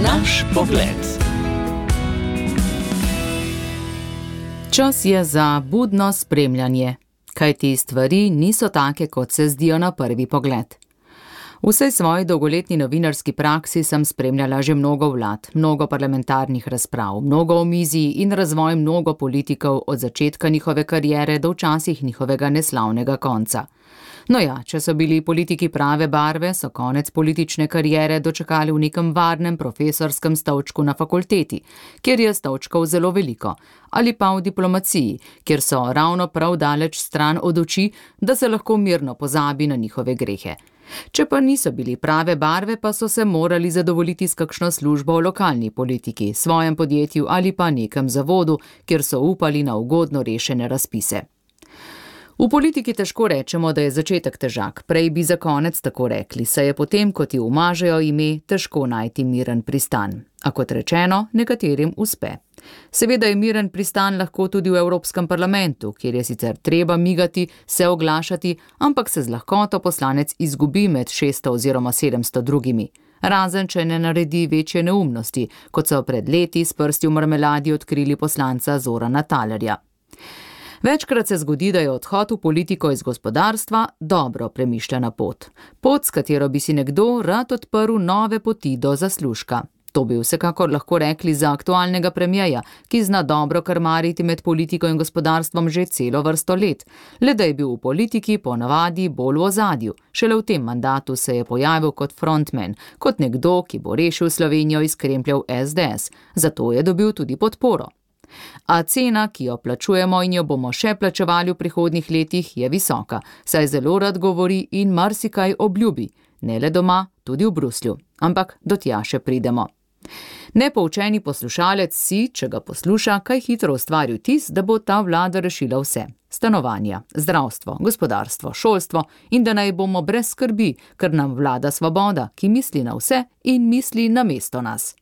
Naš pogled. Čas je za budno spremljanje, kajti stvari niso take, kot se zdijo na prvi pogled. V vsej svoji dolgoletni novinarski praksi sem spremljala že mnogo vlad, mnogo parlamentarnih razprav, mnogo omizij in razvoj mnogo politikov od začetka njihove kariere do včasih njihovega neslavnega konca. No ja, če so bili politiki prave barve, so konec politične kariere dočakali v nekem varnem profesorskem stolčku na fakulteti, kjer je stolčkov zelo veliko, ali pa v diplomaciji, kjer so ravno prav daleč stran od oči, da se lahko mirno pozabi na njihove grehe. Če pa niso bili prave barve, pa so se morali zadovoljiti s kakšno službo v lokalni politiki, svojem podjetju ali pa nekem zavodu, kjer so upali na ugodno rešene razpise. V politiki težko rečemo, da je začetek težak, prej bi za konec tako rekli, saj je potem, ko ti umažejo ime, težko najti miren pristan. A kot rečeno, nekaterim uspe. Seveda je miren pristan lahko tudi v Evropskem parlamentu, kjer je sicer treba migati, se oglašati, ampak se z lahkoto poslanec izgubi med 600 oziroma 700 drugimi. Razen, če ne naredi večje neumnosti, kot so pred leti s prsti v marmeladi odkrili poslanca Zorana Thalerja. Večkrat se zgodi, da je odhod v politiko iz gospodarstva dobro premišljena pot. Pot, s katero bi si nekdo rad odprl nove poti do zaslužka. To bi vsekakor lahko rekli za aktualnega premierja, ki zna dobro krmariti med politiko in gospodarstvom že celo vrsto let. Le da je bil v politiki ponavadi bolj v ozadju. Šele v tem mandatu se je pojavil kot frontman, kot nekdo, ki bo rešil Slovenijo iz krempljev SDS. Zato je dobil tudi podporo. A cena, ki jo plačujemo in jo bomo še plačevali v prihodnjih letih, je visoka, saj zelo rad govori in marsikaj obljubi. Ne le doma, tudi v Bruslju. Ampak do tja še pridemo. Nepoučeni poslušalec si, če ga posluša, kaj hitro ustvari vtis, da bo ta vlada rešila vse. Stanovanja, zdravstvo, gospodarstvo, šolstvo in da naj bomo brez skrbi, ker nam vlada svoboda, ki misli na vse in misli namesto nas.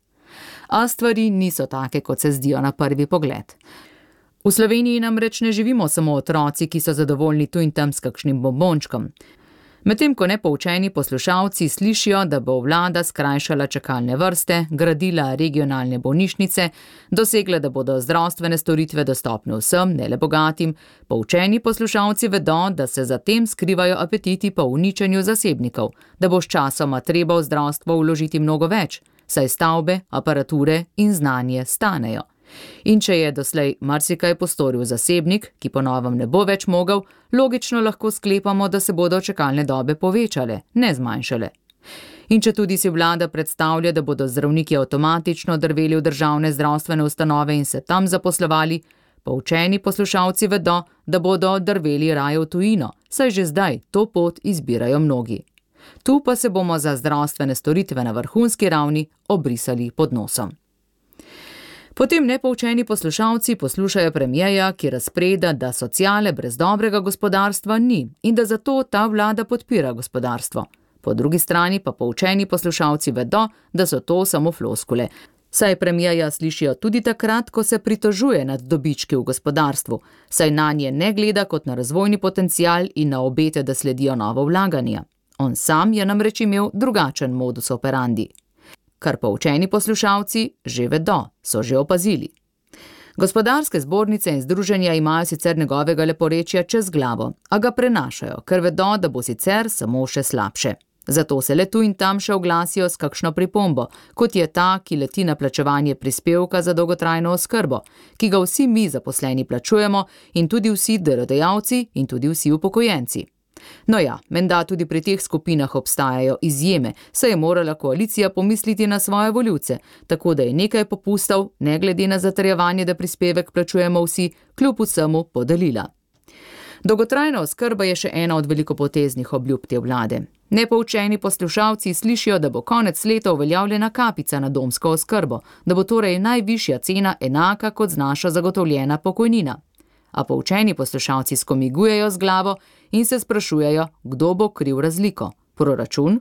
A stvari niso take, kot se zdijo na prvi pogled. V Sloveniji namreč ne živimo samo otroci, ki so zadovoljni tu in tam s kakšnim bombončkom. Medtem ko nepoučeni poslušalci slišijo, da bo vlada skrajšala čakalne vrste, gradila regionalne bolnišnice, dosegla, da bodo zdravstvene storitve dostopne vsem, ne le bogatim, poučeni poslušalci vedo, da se za tem skrivajo apetiti po uničenju zasebnikov, da bo sčasoma treba v zdravstvo vložiti mnogo več, saj stavbe, aparature in znanje stanejo. In če je doslej marsikaj postoril zasebnik, ki po novem ne bo več mogel, logično lahko sklepamo, da se bodo čakalne dobe povečale, ne zmanjšale. In če tudi si vlada predstavlja, da bodo zdravniki avtomatično drveli v državne zdravstvene ustanove in se tam zaposlovali, poučeni poslušalci vedo, da bodo drveli raje v tujino, saj že zdaj to pot izbirajo mnogi. Tu pa se bomo za zdravstvene storitve na vrhunski ravni obrisali pod nosom. Potem nepoučeni poslušalci poslušajo premierja, ki razpreda, da sociale brez dobrega gospodarstva ni in da zato ta vlada podpira gospodarstvo. Po drugi strani pa poučeni poslušalci vedo, da so to samo floskule. Saj premierja slišijo tudi takrat, ko se pritožuje nad dobički v gospodarstvu, saj nanje ne gleda kot na razvojni potencial in na obete, da sledijo novo vlaganja. On sam je namreč imel drugačen modus operandi. Kar poučeni poslušalci že vedo, so že opazili. Gospodarske zbornice in združenja imajo sicer njegovega leporečja čez glavo, a ga prenašajo, ker vedo, da bo sicer samo še slabše. Zato se le tu in tam še oglasijo s kakšno pripombo, kot je ta, ki leti na plačevanje prispevka za dolgotrajno oskrbo, ki ga vsi mi zaposleni plačujemo in tudi vsi delodajalci in tudi vsi upokojenci. No ja, menda tudi pri teh skupinah obstajajo izjeme, saj je morala koalicija pomisliti na svoje volivce, tako da je nekaj popustov, ne glede na zatrjevanje, da prispevek plačujemo vsi, kljub vsemu podelila. Dolgotrajna oskrba je še ena od velikopoteznih obljub te vlade. Nepoučeni poslušalci slišijo, da bo konec leta uveljavljena kapica na domsko oskrbo, da bo torej najvišja cena enaka kot znaša zagotovljena pokojnina. A poučeni poslušalci skomigujejo z glavo in se sprašujejo, kdo bo kriv razliko. Proračun?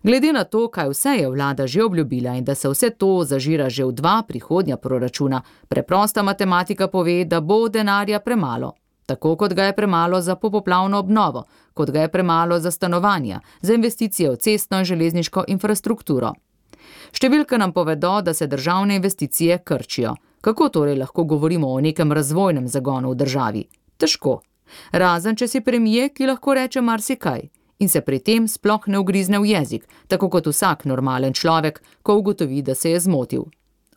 Glede na to, kaj vse je vlada že obljubila in da se vse to zažira že v 2 prihodnja proračuna, preprosta matematika pove, da bo denarja premalo. Tako kot ga je premalo za popoplavno obnovo, kot ga je premalo za stanovanja, za investicije v cestno in železniško infrastrukturo. Številke nam povedo, da se državne investicije krčijo. Kako torej lahko govorimo o nekem razvojnem zagonu v državi? Težko. Razen, če si premier, ki lahko reče marsikaj in se pri tem sploh ne ugrizne v jezik, tako kot vsak normalen človek, ko ugotovi, da se je zmotil.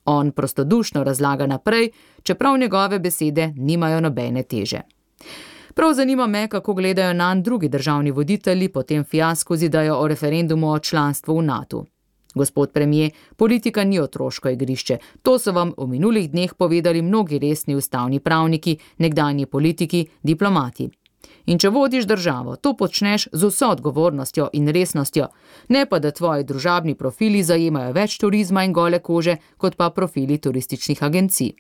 On prostodušno razlaga naprej, čeprav njegove besede nimajo nobene teže. Prav zanima me, kako gledajo nanj drugi državni voditelji po tem fiasku z idejo o referendumu o članstvu v NATO. Gospod premier, politika ni otroško igrišče, to so vam v minulih dneh povedali mnogi resni ustavni pravniki, nekdanji politiki, diplomati. In če vodiš državo, to počneš z vso odgovornostjo in resnostjo, ne pa da tvoji družabni profili zajemajo več turizma in gole kože, kot pa profili turističnih agencij.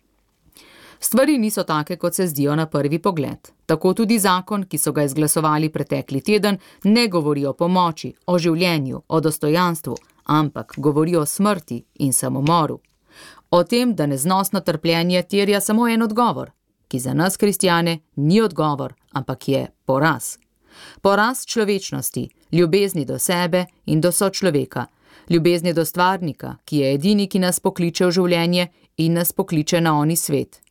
Stvari niso take, kot se zdijo na prvi pogled. Tako tudi zakon, ki so ga izglasovali pretekli teden, ne govori o pomoči, o življenju, o dostojanstvu, ampak govori o smrti in samomoru. O tem, da neznosno trpljenje terja samo en odgovor, ki za nas kristjane ni odgovor, ampak je poraz. Poraz človečnosti, ljubezni do sebe in do sočloveka, ljubezni do stvarnika, ki je edini, ki nas pokliče v življenje in nas pokliče na oni svet.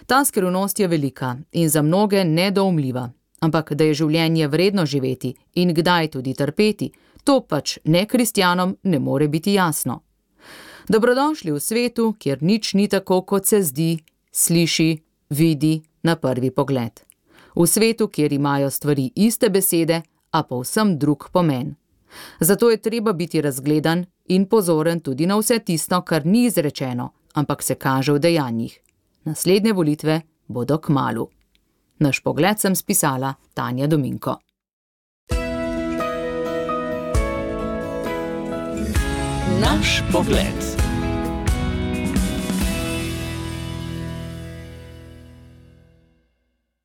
Ta skrivnost je velika in za mnoge nedoumljiva, ampak da je življenje vredno živeti in kdaj tudi trpeti, to pač nekristjanom ne more biti jasno. Dobrodošli v svetu, kjer nič ni tako, kot se zdi, sliši, vidi na prvi pogled. V svetu, kjer imajo stvari iste besede, a povsem drug pomen. Zato je treba biti razgledan in pozoren tudi na vse tisto, kar ni izrečeno, ampak se kaže v dejanjih. Naslednje volitve bodo kmalu. Naš pogled sem spisala Tanja Dominko. Naš pogled.